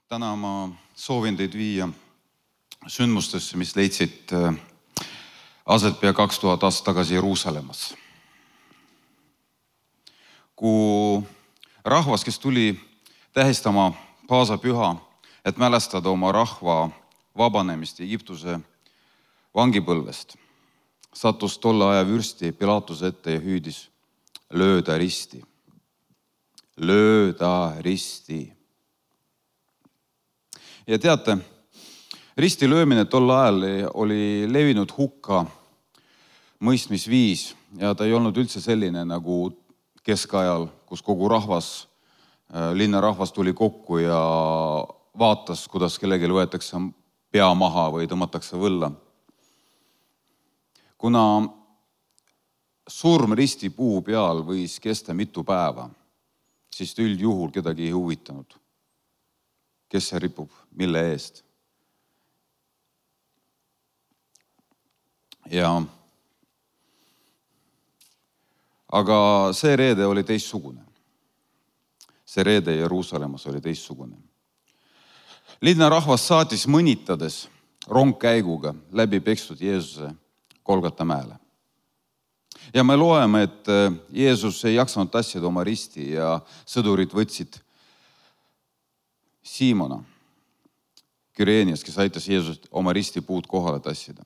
Täna ma soovin teid viia sündmustesse, mis leidsid aset pea 2000 aastat tagasi Jeruusalemmas. Kui rahvas, kes tuli tähistama paasapüha, et mälestada oma rahva vabanemist Egiptuse vangipõlvest, sattus tolle aja vürsti Pilatuse ette ja hüüdis: lööda risti, lööda risti. Ja teate, risti löömine tol ajal oli levinud hukka mõistmisviis ja ta ei olnud üldse selline nagu keskajal, kus kogu rahvas, linnarahvas tuli kokku ja vaatas, kuidas kellelgi võetakse pea maha või tõmmatakse võlla. Kuna surm risti puu peal võis kesta mitu päeva, siis üldjuhul kedagi ei huvitanud, kes see ripub, mille eest. Aga see reede oli teistsugune. See reede Jeruusalemmas oli teistsugune. Linnarahvas saatis mõnitades rongkäiguga läbi pekstud Jeesuse Golgata mäele. Ja me loeme, et Jeesus ei jaksanud tassida oma risti ja sõdurid võtsid Siimona Küreenias, kes aitas Jeesust oma ristipuud kohale tassida.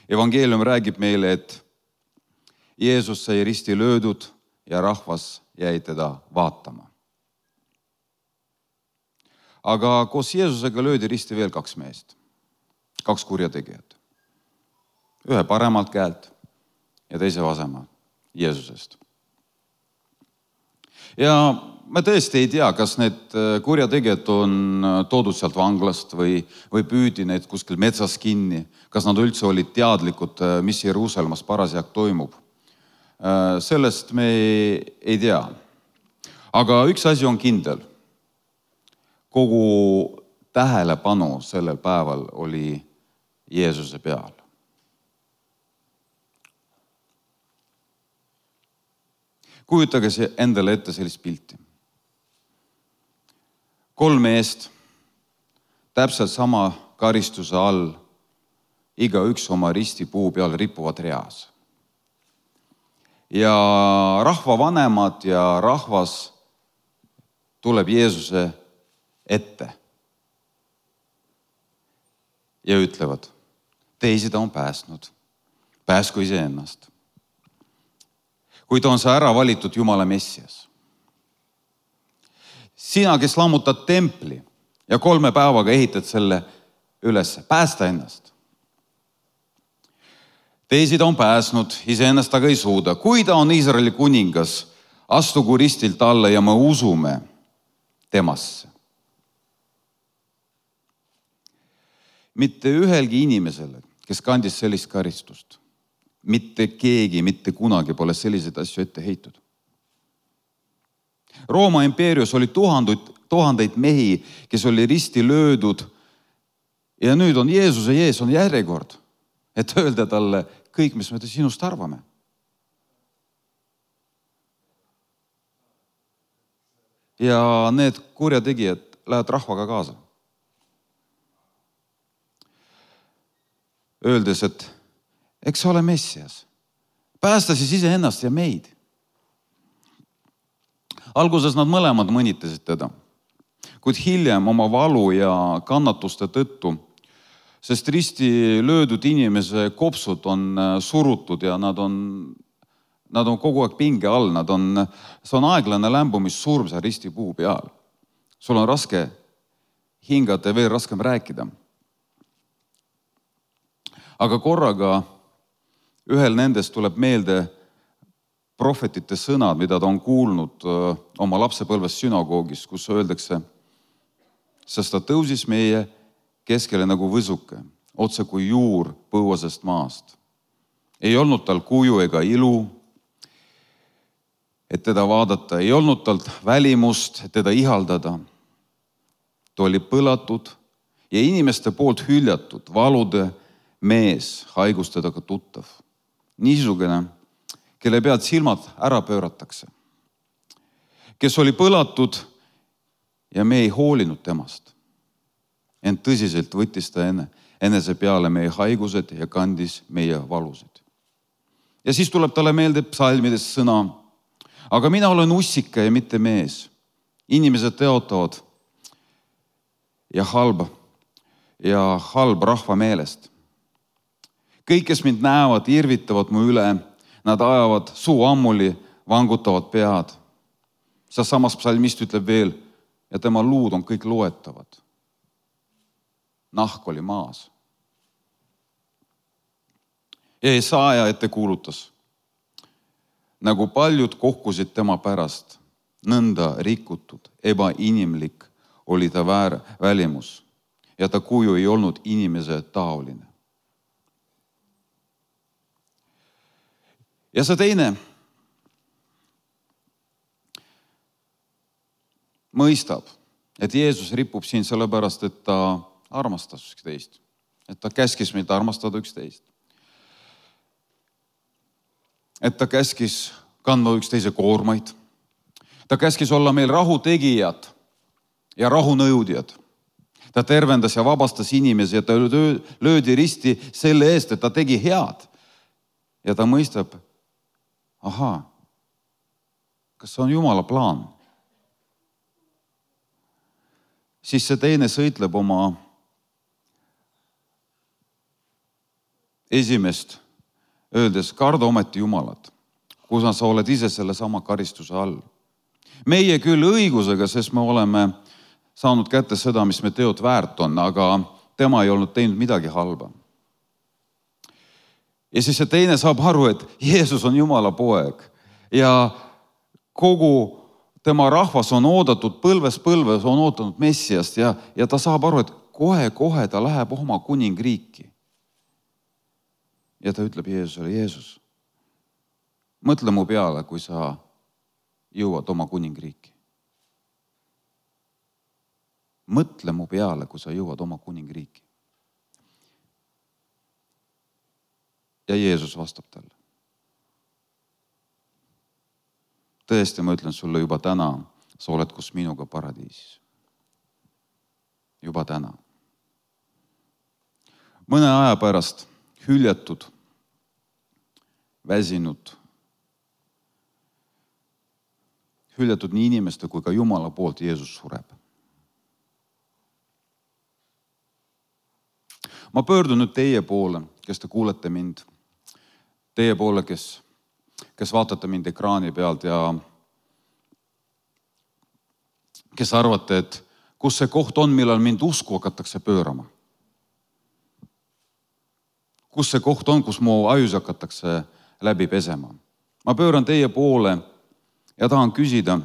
Evangeelium räägib meile, et Jeesus sai risti löödud ja rahvas jäi teda vaatama. Aga koos Jeesusega löödi risti veel 2 meest, 2 kurjategijat. Ühe paremalt käelt ja teise vasemalt Jeesusest. Ja me tõesti ei tea, kas need kurjategijad on toodud sealt vanglast või püüdi need kuskil metsas kinni, kas nad üldse olid teadlikud, mis Jeruusalemmas parasjagu toimub. Sellest me ei tea. Aga üks asi on kindel. Kogu tähelepanu sellel päeval oli Jeesuse peal. Kujutage endale ette sellist pilti. 3 meest, täpselt sama karistuse all, igaüks oma ristipuu peal rippuvad reas. Ja rahvavanemad ja rahvas tuleb Jeesuse ette ja ütlevad: teisi ta on päästnud, pääsku iseennast. Kui ta on see ära valitud Jumala Messias. Sina, kes lammutad templi ja 3 päevaga ehitad selle üles, päästa ennast. Teisi ta on pääsnud, iseennast aga ei suuda. Kui ta on Iisraeli kuningas, astugu ristilt alla ja me usume temasse. Mitte ühelgi inimesele, kes kandis sellist karistust, mitte keegi, mitte kunagi pole selliseid asju ette heitud. Rooma impeerius oli tuhandeid mehi, kes oli risti löödud ja nüüd on Jeesuse ees on järjekord, et öelda talle kõik, mis me sinust arvame. Ja need kurjategijad lähevad rahvaga kaasa. Öeldes, et eks sa ole Messias. Päästa siis iseennast ja meid. Alguses nad mõlemad mõnitasid teda, kuid hiljem oma valu ja kannatuste tõttu, sest risti löödud inimese kopsud on surutud ja nad on kogu aeg pinge all, see on aeglane lämbumissurm seal ristipuu peal. Sul on raske hingata ja veel raskem rääkida. Aga korraga ühel nendest tuleb meelde prohvetite sõnad, mida ta on kuulnud oma lapsepõlves sünagoogis, kus öeldakse: sest ta tõusis meie keskele nagu võsuke, otse kui juur põuasest maast. Ei olnud tal kuju ega ilu, et teda vaadata, ei olnud talt välimust, et teda ihaldada. Ta oli põlatud ja inimeste poolt hüljatud, valude mees, haigustedega tuttav. Niisugune, kelle pealt silmad ära pööratakse. Kes oli põlatud ja me ei hoolinud temast. Ent tõsiselt võttis ta enese peale meie haigused ja kandis meie valusid. Ja siis tuleb talle meelde psalmides sõna, aga mina olen ussika ja mitte mees. Inimesed teotavad ja halb rahva meelest. Kõik, kes mind näevad, irvitavad mu üle, nad ajavad suu ammuli, vangutavad pead. Samas psalmist ütleb veel, ja tema luud on kõik loetavad. Nahk oli maas. Ja Jesaja ette kuulutas, nagu paljud kohkusid tema pärast, nõnda rikutud, ebainimlik oli ta välimus ja ta kuju ei olnud inimese taoline. Ja see teine mõistab, et Jeesus ripub siin sellepärast, et ta armastas üksteist. Et ta käskis meid armastada üksteist. Et ta käskis kandma üksteise koormaid. Ta käskis olla meil rahutegijad ja rahunõudjad. Ta tervendas ja vabastas inimesi ja ta löödi risti selle eest, et ta tegi head. Ja ta mõistab, kas see on Jumala plaan? Siis see teine sõitleb oma esimest, öeldes, karda ometi Jumalat, kus sa oled ise selle sama karistuse all. Meie küll õigusega, sest me oleme saanud kätte seda, mis me teod väärt on, aga tema ei olnud teinud midagi halba. Ja siis see teine saab aru, et Jeesus on Jumala poeg ja kogu tema rahvas on oodatud põlves, on ootanud Messiast ja ta saab aru, et kohe ta läheb oma kuningriiki. Ja ta ütleb Jeesusele, Jeesus, mõtle mu peale, kui sa jõuad oma kuningriiki. Mõtle mu peale, kui sa jõuad oma kuningriiki. Ja Jeesus vastab talle. Tõesti, ma ütlen sulle juba täna, sa oled kus minuga paradiisis. Juba täna. Mõne aja pärast hüljatud, väsinud, hüljatud nii inimeste kui ka Jumala poolt Jeesus sureb. Ma pöördun nüüd teie poole, kes te kuulete mind, teie poole, kes vaatate mind ekraani pealt ja kes arvate, et kus see koht on, millal mind usku hakatakse pöörama. Kus see koht on, kus mu ajus hakatakse läbi pesema. Ma pööran teie poole ja tahan küsida,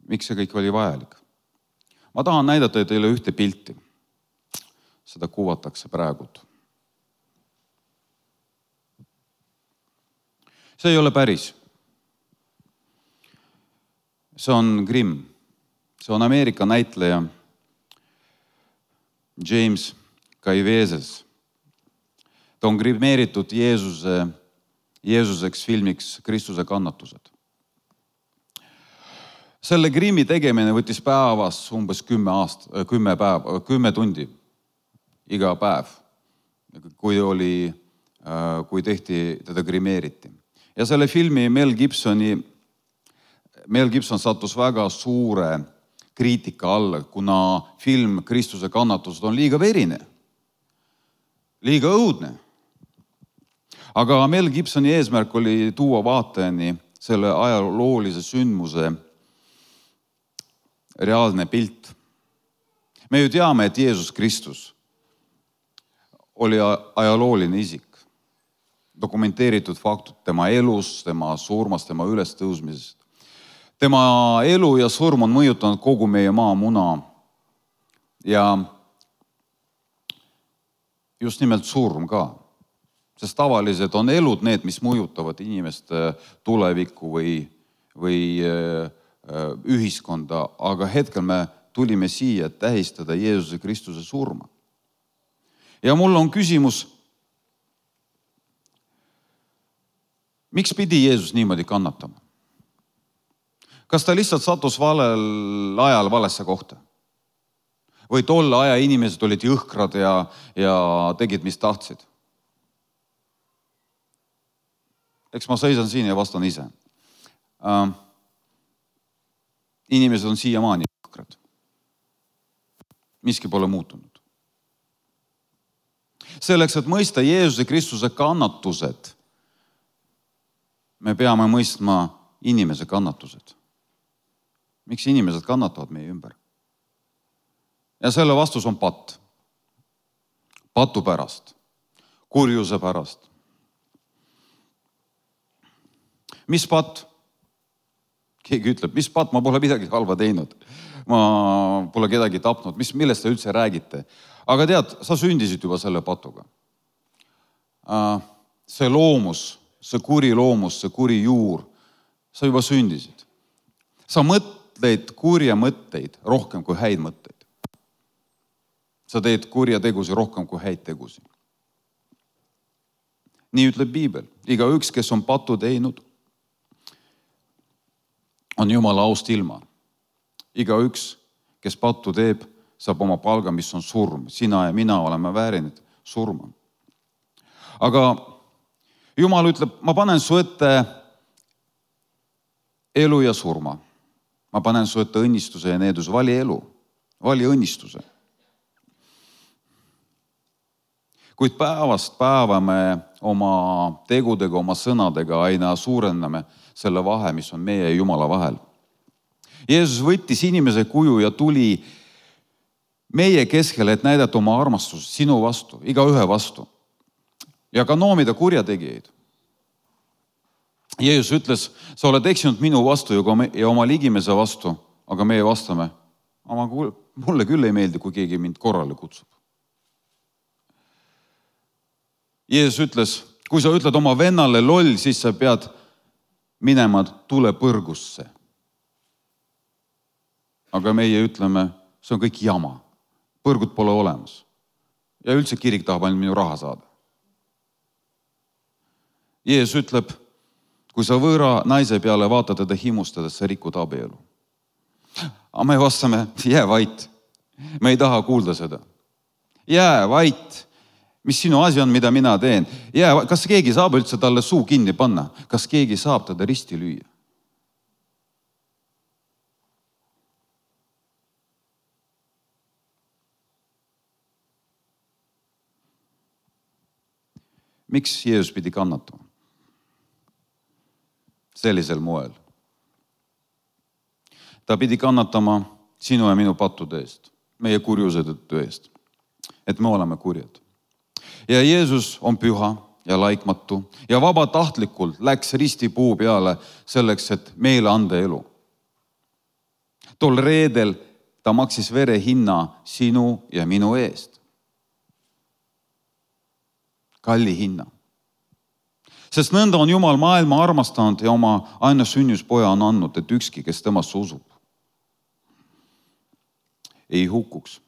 miks see kõik oli vajalik. Ma tahan näidata teile ühte pilti. Seda kuvatakse praegult. See ei ole päris. See on Grimm. See on Ameerika näitleja James Caviezel. Ta on grimeeritud Jeesuseks filmiks Kristuse kannatused. Selle Grimmi tegemine võttis päevas umbes 10 tundi iga päev, kui teda grimeeriti. Ja selle filmi Mel Gibson sattus väga suure kriitika alla, kuna film Kristuse kannatused on liiga verine, liiga õudne. Aga Mel Gibsoni eesmärk oli tuua vaatajani selle ajaloolise sündmuse reaalne pilt. Me ju teame, et Jeesus Kristus oli ajalooline isik. Dokumenteeritud faktid tema elust, tema surmast, tema ülestõusmisest. Tema elu ja surm on mõjutanud kogu meie maamuna. Ja just nimelt surm ka. Sest tavaliselt on elud need, mis mõjutavad inimeste tulevikku või ühiskonda, aga hetkel me tulime siia tähistada Jeesuse Kristuse surma. Ja mul on küsimus, Miks pidi Jeesus niimoodi kannatama? Kas ta lihtsalt sattus valel ajal valesse kohta? Või tolle aja inimesed olid jõhkrad ja tegid, mis tahtsid? Eks ma seisan siin ja vastan ise. Inimesed on siiamaani jõhkrad. Miski pole muutunud. Selleks, et mõista Jeesuse Kristuse kannatused, me peame mõistma inimese kannatused. Miks inimesed kannatavad meie ümber? Ja selle vastus on patt. Patu pärast. Kurjuse pärast. Mis patt? Keegi ütleb, mis patt? Ma pole midagi halva teinud. Ma pole kedagi tapnud. Millest te üldse räägite? Aga tead, sa sündisid juba selle patuga. See loomus, see kuri loomus, see kuri juur, sa juba sündisid. Sa mõtleid kurja mõtteid rohkem kui häid mõtteid. Sa teed kurja tegusi rohkem kui häid tegusi. Nii ütleb Piibel. Igaüks, kes on patu teinud, on Jumala aust ilma. Igaüks, kes patu teeb, saab oma palga, mis on surm. Sina ja mina oleme väärinud surma. Aga Jumal ütleb, ma panen su ette elu ja surma. Ma panen su ette õnnistuse ja needuse. Vali elu. Vali õnnistuse. Kuid päevast päeva me oma tegudega, oma sõnadega aina suurenname selle vahe, mis on meie ja Jumala vahel. Jeesus võttis inimese kuju ja tuli meie keskele, et näidata oma armastust sinu vastu, igaühe vastu. Ja ka noomida kurjategijaid. Jeesus ütles, sa oled eksinud minu vastu ja oma ligimese vastu, aga meie vastame, mulle küll ei meeldi, kui keegi mind korrale kutsub. Jeesus ütles, kui sa ütled oma vennale loll, siis sa pead minema tulepõrgusse. Aga meie ütleme, see on kõik jama. Põrgut pole olemas. Ja üldse kirik tahab ainult minu raha saada. Jeesus ütleb, kui sa võõra naise peale vaatad teda himustades, sa rikud abielu. Aga me vastame, jää vait. Me ei taha kuulda seda. Jää vait. Mis sinu asi on, mida mina teen? Kas keegi saab üldse talle suu kinni panna? Kas keegi saab teda risti lüüa? Miks Jeesus pidi kannatama? Sellisel moel. Ta pidi kannatama sinu ja minu pattude eest, meie kurjuse tõttu eest, et me oleme kurjad. Ja Jeesus on püha ja laikmatu ja vabatahtlikult läks ristipuu peale selleks, et meile anda elu. Tol reedel ta maksis vere hinna sinu ja minu eest. Kalli hinna. Sest nõnda on Jumal maailma armastanud ja oma aina sünnuspoja on andnud, et ükski, kes temasse usub, ei hukkuks,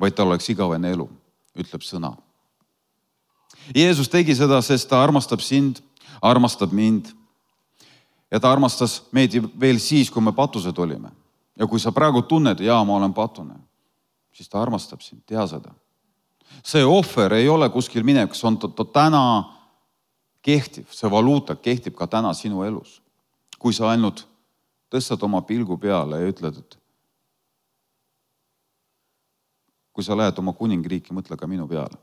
vaid tal oleks igavene elu, ütleb sõna. Jeesus tegi seda, sest ta armastab sind, armastab mind ja ta armastas meid veel siis, kui me patused olime. Ja kui sa praegu tunned, ma olen patune, siis ta armastab sind, tea seda. See ohver ei ole kuskil minev, see on täna kehtiv, see valuuta kehtib ka täna sinu elus. Kui sa ainult tõstad oma pilgu peale ja ütled, et kui sa lähed oma kuningriiki, mõtle ka minu peale.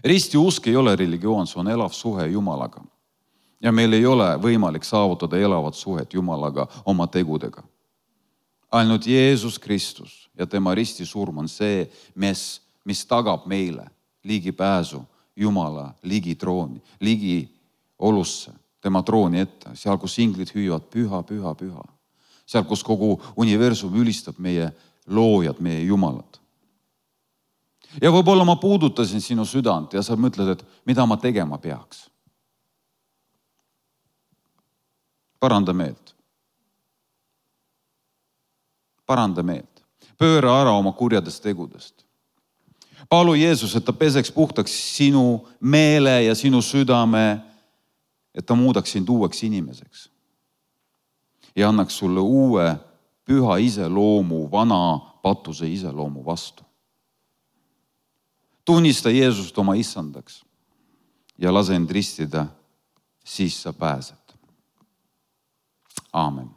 Risti usk ei ole religioon, see on elav suhe Jumalaga. Ja meil ei ole võimalik saavutada elavat suhet Jumalaga oma tegudega. Ainult Jeesus Kristus ja tema risti surm on see, mis tagab meile ligipääsu Jumala ligi trooni, ligi olusse, tema trooni ette, seal, kus inglid hüüavad püha, püha, püha. Seal, kus kogu universum ülistab meie loojad, meie Jumalat. Ja võib-olla ma puudutasin sinu südant ja sa mõtled, et mida ma tegema peaks. Paranda meelt. Paranda meelt. Pööra ära oma kurjadest tegudest. Palu Jeesus, et ta peseks puhtaks sinu meele ja sinu südame, et ta muudaks sind uueks inimeseks ja annaks sulle uue püha iseloomu vana patuse iseloomu vastu. Tunnista Jeesust oma issandaks ja lase end ristida, siis sa pääsed. Aamen.